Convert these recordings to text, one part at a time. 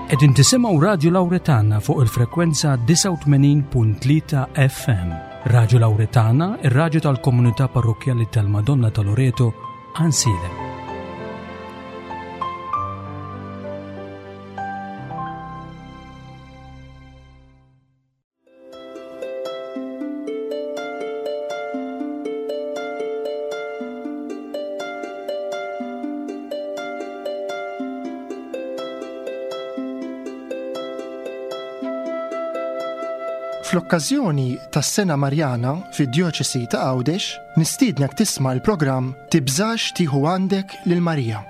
Qegħdin tisimgħu Radju Lawretana fuq il-frekwenza 89.3 FM. Radju Lawretana, ir-radju tal-komunità parrokkjali tal-Madonna ta' Loreto, Ansilem. Fl-okkażjoni tas-Sena Marjana fid-Djoċesi ta' Għawdex, nistiednek tisma' l-programm Tibżax tieħu għandek lil Marija.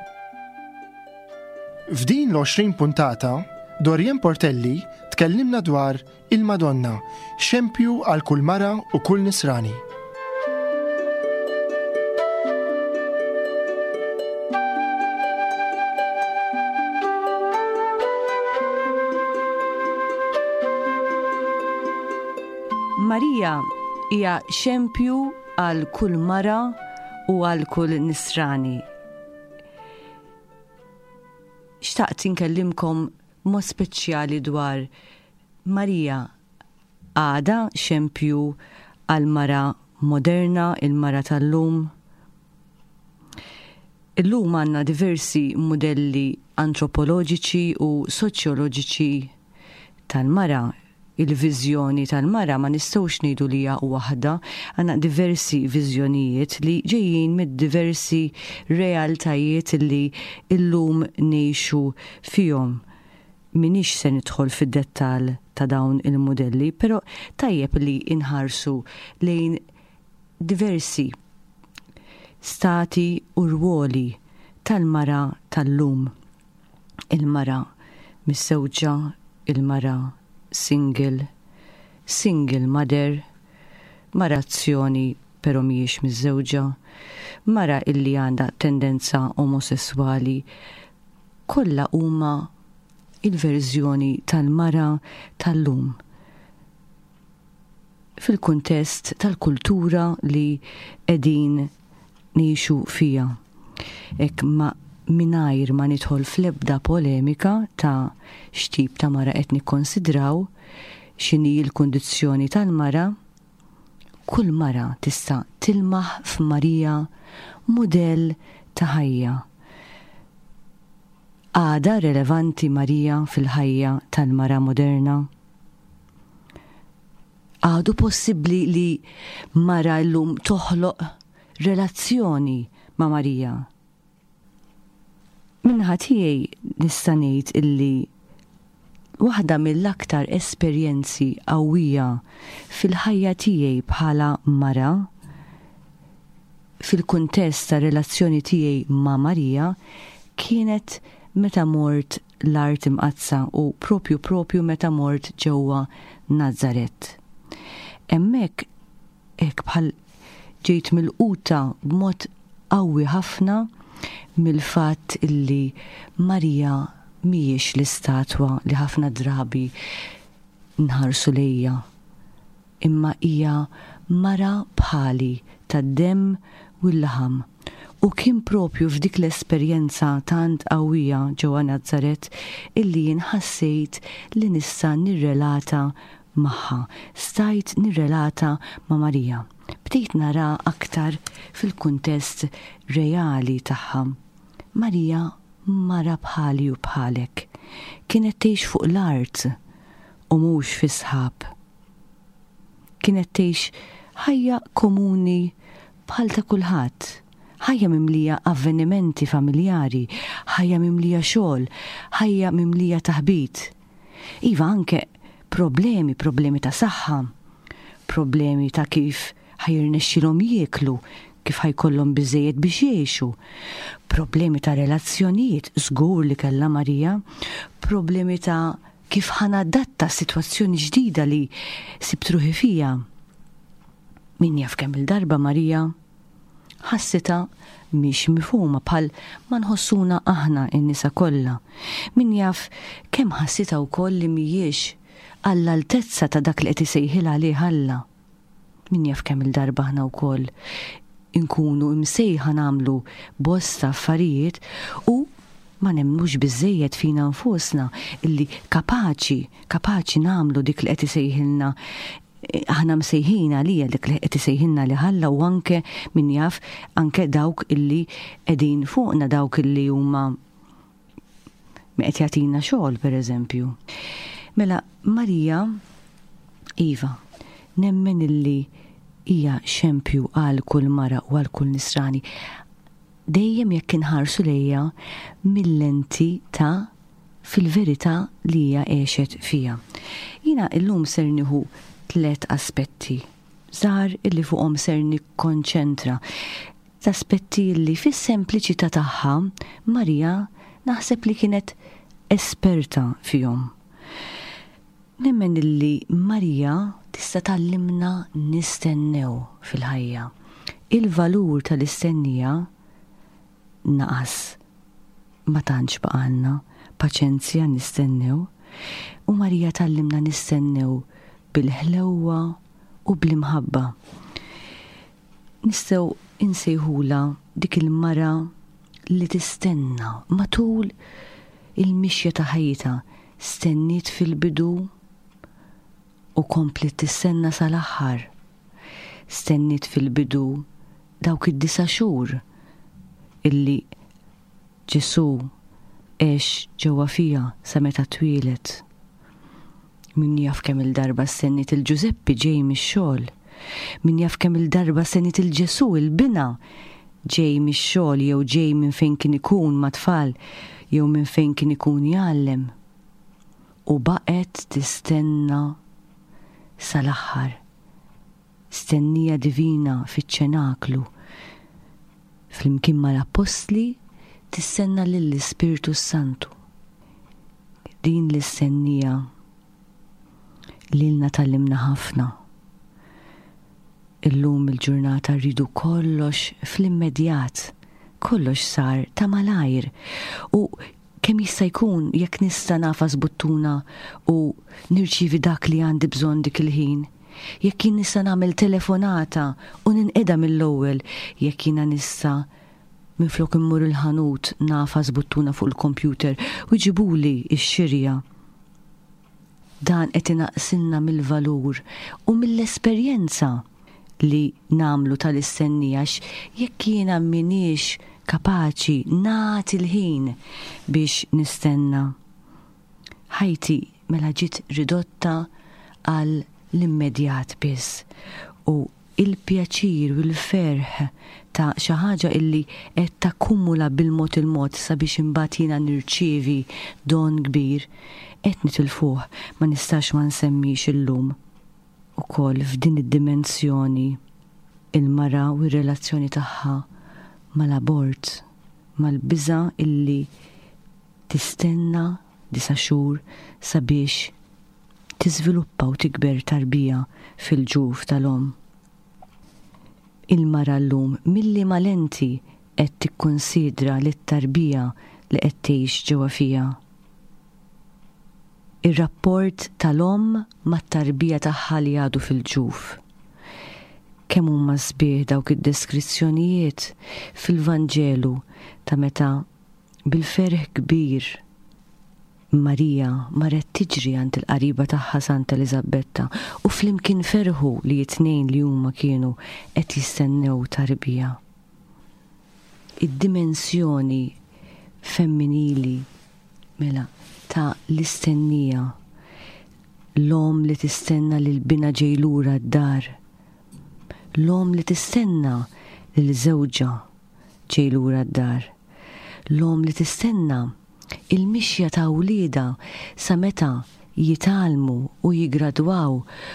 F'din l-20 puntata, Dorian Portelli tkellimna dwar Il-Madonna, xempju għal kull mara u kull nisrani. Marija hija xempju għal kull mara u għal kull nisrani. Xtaqt inkellimkom mod speċjali dwar Marija għadha xempju għall-mara moderna, il-mara tal-lum. Illum għandna diversi mudelli antropoloġiċi u soċjoloġiċi tal-mara. Il-viżjoni tal-mara ma nistgħux ngħidu li hija waħda, għandna diversi viżjonijiet li ġejjin mid-diversi realtajiet li llum ngħixu fihom. M'iniex se nidħol fid-dettall ta' dawn il-mudelli, però tajjeb li nħarsu lejn diversi stati u rwoli tal-mara tal-lum. Il-mara miżżewġa, il-mara single, single mother, mara azzjoni però mhijiex miżżewġa, mara illi għandha tendenza omosesswali, kollha huma il-verżjoni tal-mara tal-lum fil-kuntest tal-kultura li qegħdin ngħixu fiha. Hekk ma mingħajr ma nidħol fl-ebda polemika ta' x'tip ta' mara qed nikkonsidraw, x'inhi l-kundizzjoni tal-mara, kull mara tista' tilmaħ f'Marija mudell ta' ħajja. Għadha relevanti Marija fil-ħajja tal-mara moderna? Għadu possibbli li mara llum toħloq relazzjoni ma' Marija? Min-naħa tiegħi nista' ngħid illi waħda mill-aktar esperjenzi qawwija fil-ħajja tiegħi bħala mara, fil-kuntest tar-relazzjoni tiegħi ma' Marija, kienet meta mort l-Art Imqaddsa u propju propju meta mort ġewwa Nazaret. Hemmhekk hekk bħal ġejt milquta b'mod qawwi ħafna mill-fatt illi Marija mhijiex l-istatwa li ħafna drabi nħarsu lejha, imma hija mara bħali tad-demm u l-laħam. U kien propju f'dik l-esperjenza tant qawwija ġewwa Nazaret illi jien ħassejt li nista' nirrelata magħha. Stajt nirrelata ma' Marija. Bdejt naraha aktar fil-kuntest reali tagħha. Marija mara bħali u bħalek. Kienet tgħix fuq l-art u mhux fis-sħab. Kienet tgħix ħajja komuni bħal ta' kulħadd. Ħajja mimlija avvenimenti familjari, ħajja mimlija xogħol, ħajja mimlija taħbit. Iva anke problemi, problemi ta' saħħa, problemi ta' kif ħa jirnexxilhom jieklu, kif ħa jkollhom biżżejjed biex jgħixu, problemi ta' relazzjonijiet, żgur li kellha Marija, problemi ta' kif ħa nadatta sitwazzjoni ġdida li sibt ruħi fiha. Min jaf kemm-il darba Marija ħassitha mhix mifhuma bħal ma nħossuna aħna n-nisa kollha. Min jaf kemm ħassitha wkoll li mhijiex għall-altezza ta' dak li qed isejħilha għalih Alla. Min jaf kemm-il darba aħna wkoll inkunu imsejħa nagħmlu bosta affarijiet u. Ma nemmnux biżżejjed fina nfusna illi kapaċi, kapaċi nagħmlu dik li qed isejħilna aħna msejħin għalija dik li qed isejħilna li Alla u anke min jaf anke dawk illi qegħdin fuqna dawk illi huma min qed jagħtina xogħol pereżempju. Mela Marija iva, nemmen illi hija xempju għal kull mara u għal kull nisrani. Dejjem jekk inħarsu lejha mil-lenti ta' fil-verità li hija għexet fiha. Jiena illum ser nieħu tlett aspetti żgħar illi fuqhom ser nikkonċentra. L-aspetti illi fis-sempliċità tagħha Marija naħseb li kienet esperta fihom. Nemmen illi Marija tista' tgħallimna nistennew fil-ħajja. Il-valur tal-istennija naqas. Ma tantx baqgħalna paċenzja nistennew. U Marija tgħallimna nistennew bil-ħlewwa u bl-imħabba. Nistgħu insejħulha dik il-mara li tistenna matul il-mixja ta' ħajjitha, stenniet fil-bidu u kompliet tistenna sal-aħħar. Stenniet fil-bidu dawk id-disa' xhur illi Ġesù għex ġewwa fiha sa meta twieled. Min jaf kemm-il darba stenniet 'il Ġużeppi ġej mix-xogħol. Min jaf kemm-il darba stenniet 'il Ġesù, 'il binha, ġej mix-xogħol jew ġej minn fejn kien ikun mat-tfal jew minn fejn kien ikun jgħallem. U baqgħet tistenna sal-aħħar. Stennija divina fiċ-ċenaklu. Flimkien mal-Appostli tistenna lill-Ispirtu s-Santu. Din l-istennija lilna tgħallimna ħafna. Illum il-ġurnata rridu kollox fl-immedjat, kollox sar ta' malajr u kemm jista' jkun jekk nista' nagħfas buttuna u nirċievi dak li għandi bżonn dik il-ħin. Jekk jien nista' nagħmel telefonata u ninqeda mill-ewwel, jekk jiena nista' minflok immur il-ħanut nagħfas buttuna fuq il-kompjuter u jġibuli x-xirja. Dan qed inaqqsilna mill-valur u mill-esperjenza li nagħmlu tal-istennija għax jekk jiena m'iniex kapaċi nagħti l-ħin biex nistenna. Ħajti mela ġiet ridotta għal l-immedjat biss u il-pjaċir u l-ferħ ta' xi ħaġa illi qed takkumula bil-mod il-mod sabiex imbagħad jiena nirċievi don kbir, qed nitilfuh. Ma nistax ma nsemmix illum ukoll f'din id-dimensjoni il-mara u r-relazzjoni tagħha mal-abort, mal-biża' illi tistenna disa' xhur sabiex tiżviluppa u tikber tarbija fil-ġuf tal-omm. Il-mara llum mil-liema lenti qed tikkunsidra lit-tarbija li qed tgħix ġewwa fiha? Ir-rapport tal-omm mat-tarbija tagħha li għadu fil-ġuf. Kemm huma sbieħ dawk id-deskrizzjonijiet fil-Vanġelu ta' meta Bil-ferħ kbir, Marija marret tiġri għand il-qariba tagħha Santa Eliżabbetta u flimkien ferħu li t-tnejn li huma kienu qed jistennew tarbija. Id-dimensjoni femminili, mela, ta' l-istennija, l-omm li tistenna lil binha ġej lura d-dar, l-omm li tistenna lil żewġha ġej lura d-dar. L-omm li tistenna il-mixja ta' wliedha sa meta jitgħallmu u jiggradwaw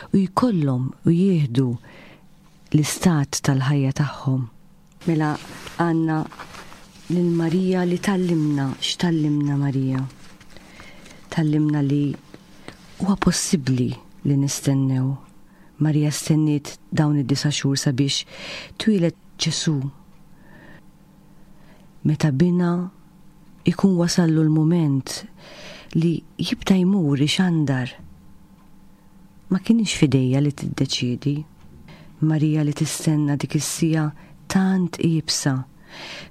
u jkollhom u jieħdu l-istat tal-ħajja tagħhom. Mela għandna lil Marija li tgħallimna, x'tgħallimna Marija? Tgħallimna li huwa possibbli li nistennew. Marija stenniet dawn id-disa' xhur sabiex twieled Ġesù. Meta binha jkun wasallu l-mument li jibda jmur ixandar, ma kinitx f'idejha li tiddeċiedi. Marija li tistenna dik is-siegħa tant iebsa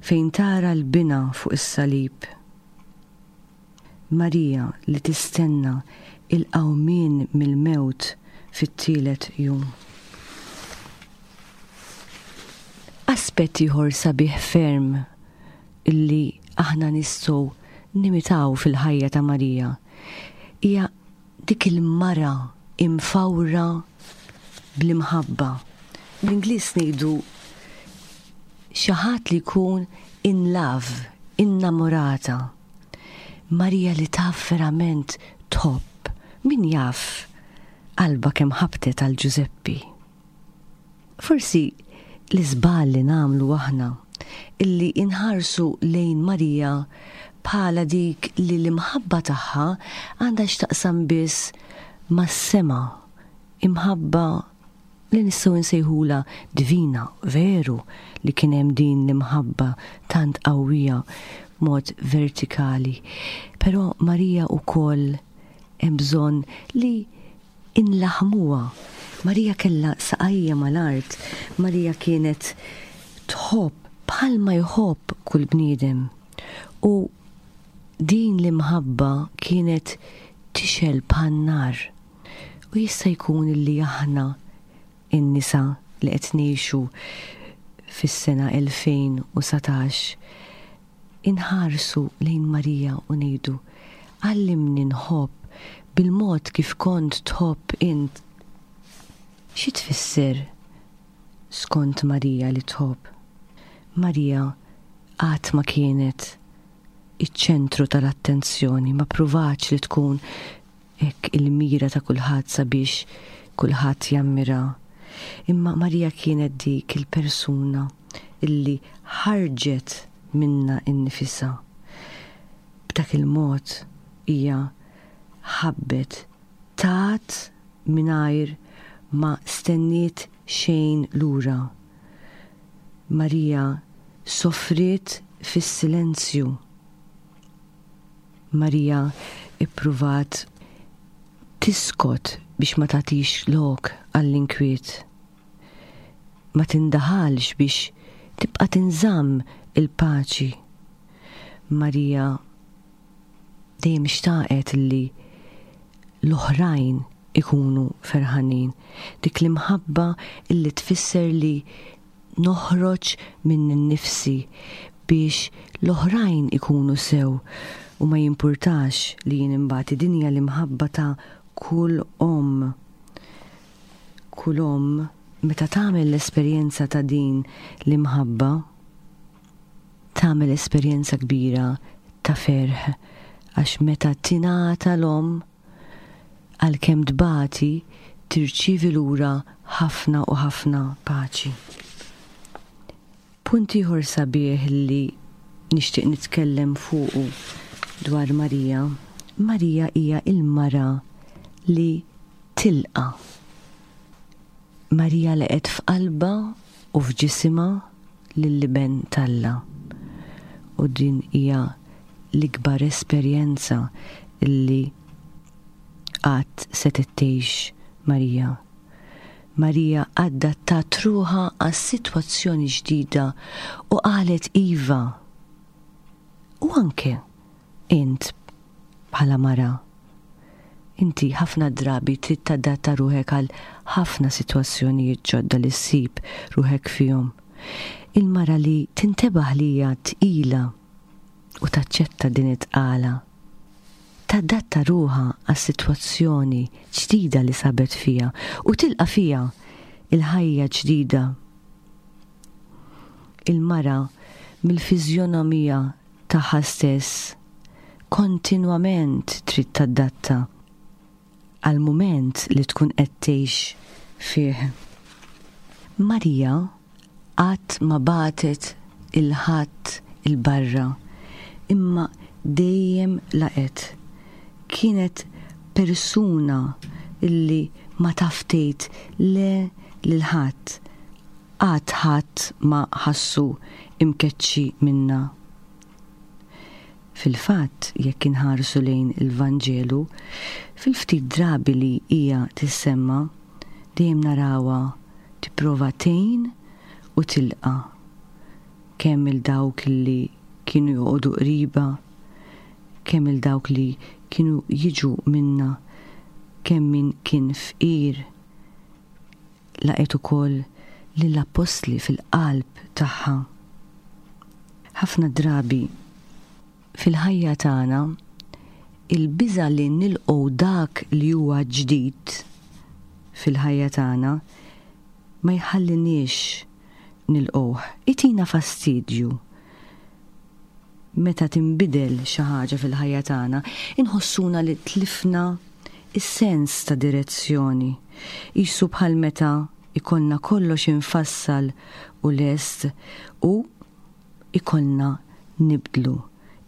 fejn tara 'l binha fuq is-salib. Marija li tistenna il-qawmien mill-mewt fit-tielet jum. Aspett ieħor sabiħ ferm illi aħna nistgħu nimitaw fil-ħajja ta' Marija hija dik il-mara imfawra bl-imħabba. Bl-Ingliż ngħidu xi ħadd li jkun in love, innamorata. Marija li taf verament tħobb, min jaf qalbha kemm ħabtet għal Ġużeppi. Forsi l-iżball li nagħmlu aħna illi inħarsu lejn Marija bħala dik li l-imħabba tagħha għandha x'taqsam biss mas-sema, imħabba li nistgħu nsejħulha divina, veru li kien hemm din l-imħabba tant qawwija b'mod vertikali. Però Marija wkoll hemm bżonn li inlaħħmuha. Marija kellha saqajja mal-art, Marija kienet tħobb bħalma jħobb kull bniedem. U din l-imħabba kienet tixgħel bħan-nar. U jista' jkun li aħna in-nisa li qed ngħixu fis-sena 2019 inħarsu lejn Marija u ngħidu, Għallimni nħobb bil-mod kif kont tħobb int. Xi tfisser skont Marija li tħobb? Marija qatt ma kienet iċ-ċentru tal-attenzjoni, ma ppruvatx li tkun hekk il-mira ta' kulħadd sabiex kulħadd jammira. Imma Marija kienet dik il-persuna illi ħarġet minnha nnifisha. B'dak il-mod hija ħabbet, tat mingħajr ma stenniet xejn lura. Marija sofriet fis-silenzju. Marija ppruvat tiskot biex ma tagħtix lok għall-inkwiet. Ma tindaħalx biex tibqa' tinżamm il-paċi. Marija dejjem xtaqet li l-oħrajn ikunu ferħanin. Dik l-imħabba illi tfisser li noħroġ minni nnifsi biex l-oħrajn ikunu sew u ma jimpurtax li jien inbati. Din hija l-imħabba ta' kull omm. Kull omm meta tagħmel l-esperjenza ta' din l-imħabba, tagħmel esperjenza kbira ta' ferħ għax meta tingħata l-omm, Għalkemm tbati, tirċievi lura ħafna u ħafna paċi. Punt ieħor sabiħ li nixtieq nitkellem fuqu dwar Marija, Marija hija l-mara li tilqa'. Marija laqgħet f'qalbha u f'ġisimha lill-Iben t'Alla. U din hija l-ikbar esperjenza li qatt setgħet tgħix Marija. Marija adattat ruħha għas-sitwazzjoni ġdida u qalet iva. U anke int bħala mara. Inti ħafna drabi trid tadatta ruħek għal ħafna sitwazzjonijiet ġodda li ssib ruħek fihom. Il-mara li tintebaħ li hija tqila u taċċetta din it-tqala, tadatta ruħha għas-sitwazzjoni ġdida li sabet fiha u tilqa' fiha l-ħajja ġdida. Il-mara mill-fiżjonomija tagħha stess kontinwament trid tadatta għall-mument li tkun qed tgħix fih. Marija qatt ma bagħtet 'il ħadd 'il barra, imma dejjem laqgħet. Kienet persuna li ma taf tgħid le lil ħadd, qatt ħadd ma ħassu imkeċċi minnha. Fil-fatt, jekk inħarsu lejn il-Vanġelu, fil-ftit drabi li hija tissemma, dejjem narawha tipprova tgħin u tilqa' kemm 'il dawk li kienu joqogħdu qribha, kemm il dawk li kienu jiġu minnha, kemm min kien fqir. Laqgħet ukoll lill-appostli fil-qalb tagħha. Ħafna drabi fil-ħajja tagħna il-biża' li nilqgħu dak li huwa ġdid fil-ħajja tagħna ma jħalliniex nilqgħuh, itina fastidju. Meta tinbidel xi ħaġa fil-ħajja tagħna, inħossuna li tlifna s-sens ta' direzzjoni. Qisu bħal meta jkollna kollox imfassal u lest u ikollna nibdlu.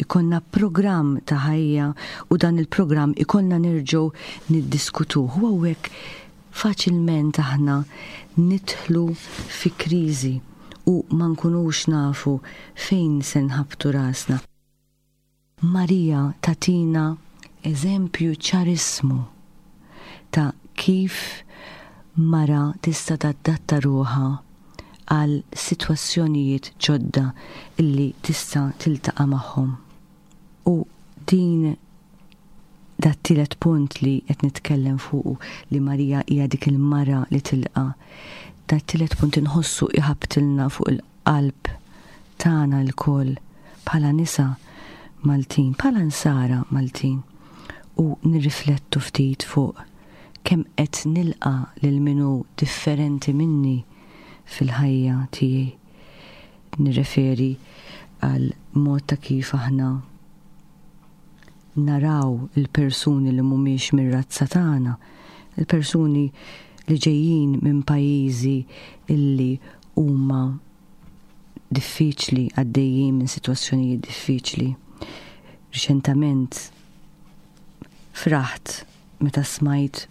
Ikollna programm ta' ħajja u dan il-programm ikollna nerġgħu niddiskutuh. U hawnhekk faċilment aħna nidħlu fi kriżi u ma nkunux nafu fejn se nħabbtu rasna. Marija tagħtina eżempju ċarissmu ta' kif mara tista' tadatta ruħha għal sitwazzjonijiet ġodda li tista' tiltaqa' magħhom. U din dat-tielet punt li qed nitkellem fuqu li Marija hija dik il-mara li tilqa', dat-tielet punt inħossu iħabbtilna fuq il-qalb tagħna lkoll bħala nisa Maltin, bħala Nsara Maltin u nirriflettu ftit fuq kemm qed nilqa' lil min hu differenti minni fil-ħajja tiegħi. Nirreferi għal mod ta' kif aħna naraw il-persuni li mhumiex mir-razza tagħna, il-persuni li ġejjin minn pajjiżi illi huma diffiċli, għaddejjin minn sitwazzjonijiet diffiċli. Riċentament fraħt meta smajt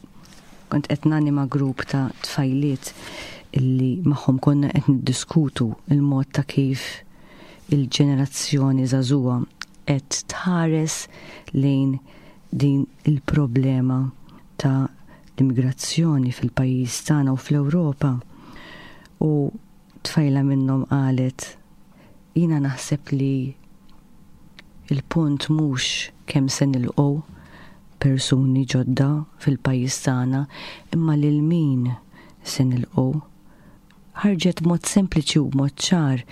kont qed nanima grupp ta' tfajliet illi magħhom konna qed niddiskutu il-mod ta' kif il-ġenerazzjoni żagħżugħa qed tħares lejn din il-problema ta' l-immigrazzjoni fil-pajjiż tagħna u fl-Ewropa. U tfajla minnhom qalet, Jiena naħseb li l-punt mhux kemm se nilqgħu persuni ġodda fil-pajjiż tagħna imma lil min se nilqgħu. Ħarġet b'mod sempliċi u b'mod ċar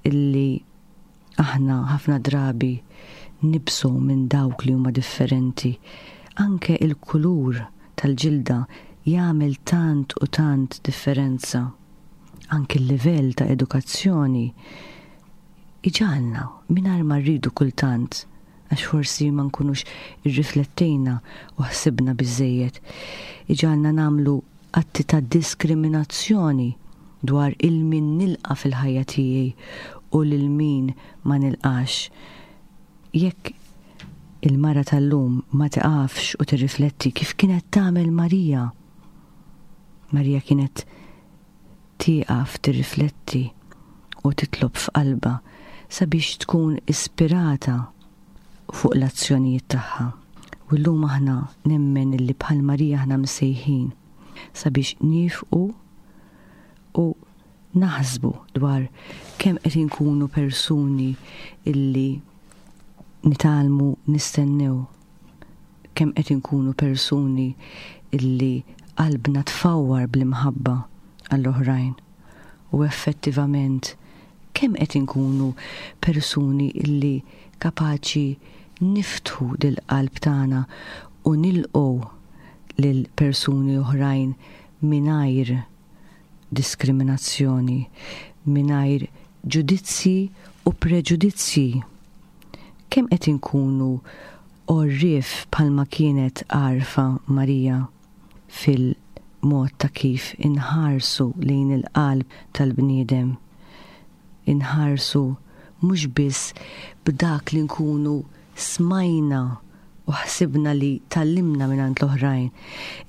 illi Aħna ħafna drabi nibżgħu minn dawk li huma differenti. Anke il-kulur tal-ġilda jagħmel tant u tant differenza. Anke l-livell ta' edukazzjoni iġagħalna mingħajr ma rridu kultant għax forsi ma nkunux irriflettejna u ħsibna biżżejjed, iġagħalna nagħmlu atti ta' diskriminazzjoni dwar 'il min nilqa' fil-ħajja tiegħi u lil min ma nilqax. Jekk il-mara tal-lum ma tiqafx u tirrifletti kif kienet tagħmel Marija, Marija kienet tieqaf tirrifletti u titlob f'qalbha sabiex tkun ispirata fuq l-azzjonijiet tagħha. U llum aħna nemmen illi bħal Marija aħna msejħin sabiex niefqu u naħsbu dwar kemm qed inkunu persuni illi nitgħallmu nistennew, kemm qed inkunu persuni illi qalbna tfawwar bl-imħabba għall-oħrajn u effettivament kemm qed inkunu persuni illi kapaċi niftħu dil-qalb tagħna u nilqgħu lil persuni oħrajn mingħajr diskriminazzjoni, mingħajr ġudizzji u preġudizzji. Kemm qed inkunu għorrief bħalma kienet għarfa Marija fil-mod ta' kif inħarsu lejn il-qalb tal-bniedem. Inħarsu mhux biss b'dak li nkunu smajna u ħsibna li tgħallimna mingħand l-oħrajn,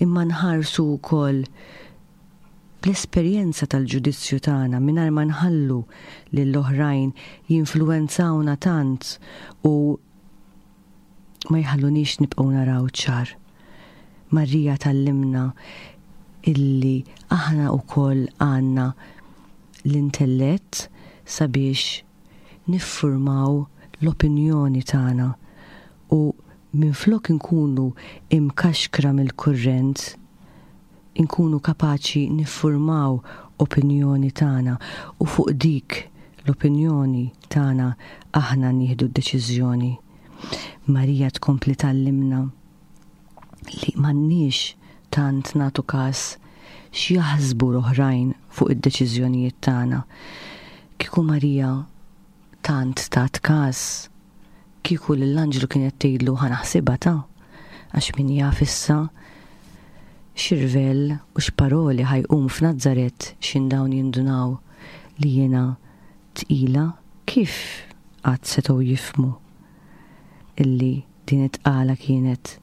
imma nħarsu wkoll bl-esperjenza tal-ġudizzju tagħna mingħajr ma nħallu lill-oħrajn jinfluwenzawna tant u ma jħalluniex nibqgħu naraw ċar. Marija tgħallimna illi aħna wkoll għandna l-intellett sabiex niffurmaw l-opinjoni tagħna u. minflok inkunu imkaxkra mill-kurrent, inkunu kapaċi niffurmaw opinjoni tagħna u fuq dik l-opinjoni tagħna aħna nieħdu d-deċiżjoni. Marija tkompli tgħallimna li m'għandniex tant nagħtu każ x'jaħsbu l-oħrajn fuq id-deċiżjonijiet tagħna. Kieku Marija tant tat każ, kieku lill-anġlu kienet tgħidlu ħa naħsibha ta' għax min jaf issa x'irvell u x'paroli ħa jqum f'Nazaret x'in dawn jindunaw li jiena tqila kif qatt setgħu jifhmu illi din it-tqala kienet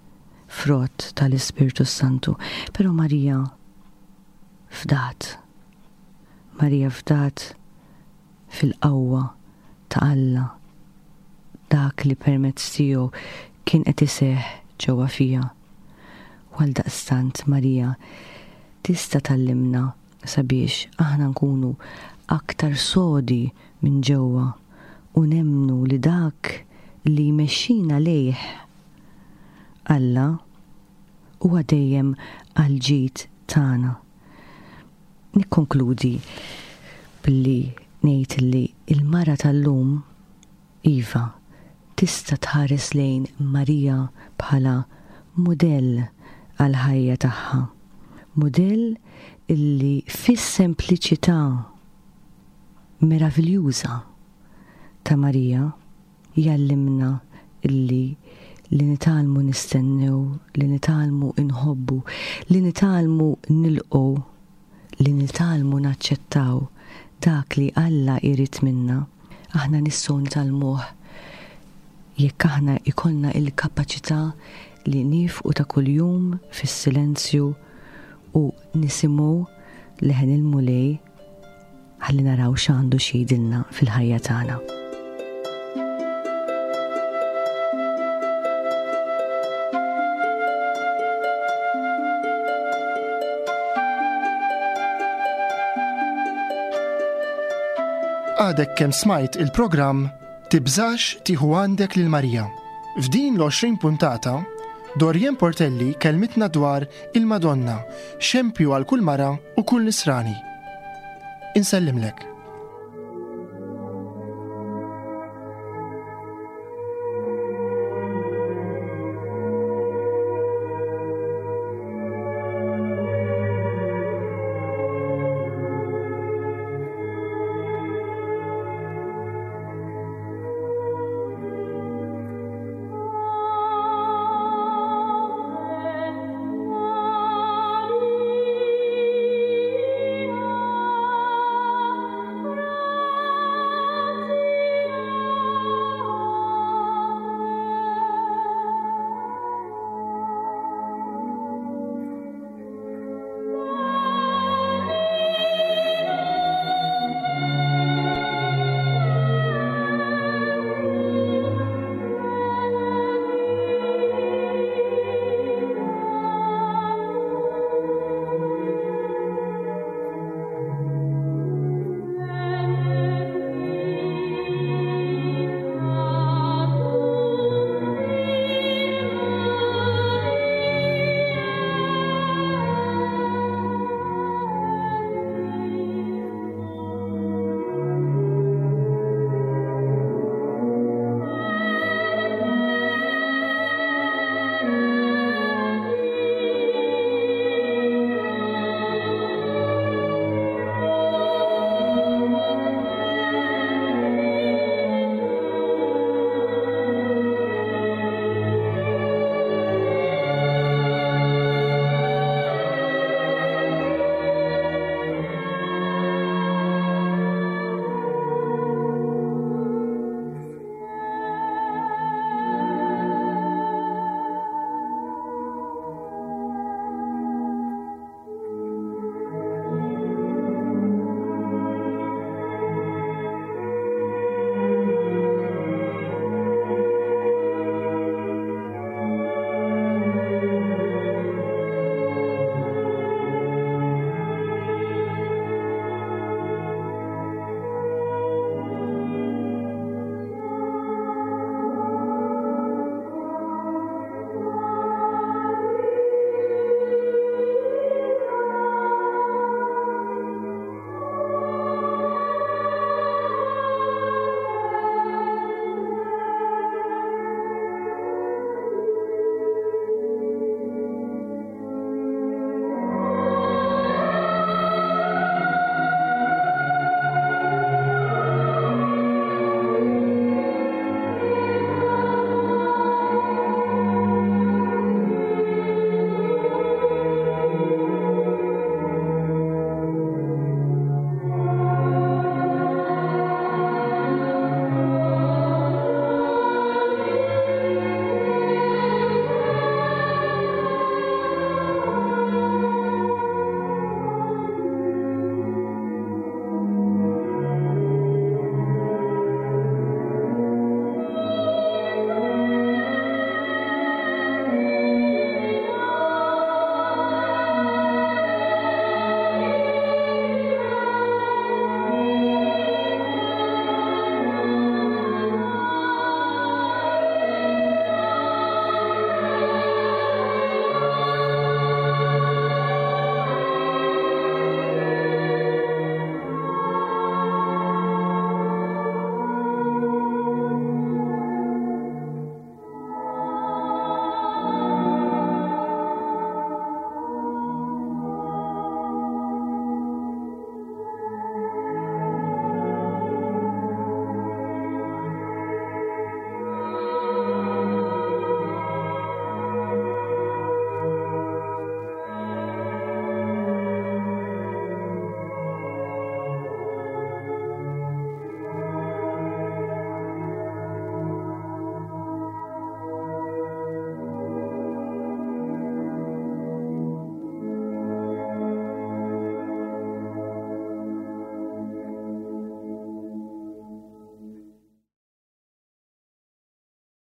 frott tal-Ispirtu s-Santu. Però Marija fdat. Marija fdat fil-qawwa ta' Alla, dak li permezz tiegħu kien qed iseħħ ġewwa fiha. U għaldaqstant Marija tista' tgħallimna sabiex aħna nkunu aktar sodi minn ġewwa u nemmnu li dak li jmexxina lejh Alla huwa dejjem għall-ġid tagħna. Nikkonkludi billi ngħid li l-mara tal-lum, iva, tista' tħares lejn Marija bħala mudell għall-ħajja tagħha. Mudell illi fis-sempliċità meraviljuża ta' Marija, Jgħallimna li li nitgħallmu nistennew, li nitgħallmu nħobbu, li nitgħallmu nilqgħu, li nitgħallmu naċċettaw dak li Alla jrid minna, aħna nistgħu nitgħallmuh jekk aħna jkollna l-kapaċità li niefqu ta' kuljum fis-silenzju u nisimgħu leħen il-Mulej Ħalli naraw x'għandu x'jgħidilna fil-ħajja tagħna. Għadek kemm smajt il-programm Tibżax tieħu għandek lil Marija. F'din l-20 puntata, Dorien Portelli kelmitna dwar il-Madonna, xempju għal kull mara u kull nisrani. Insellimlek.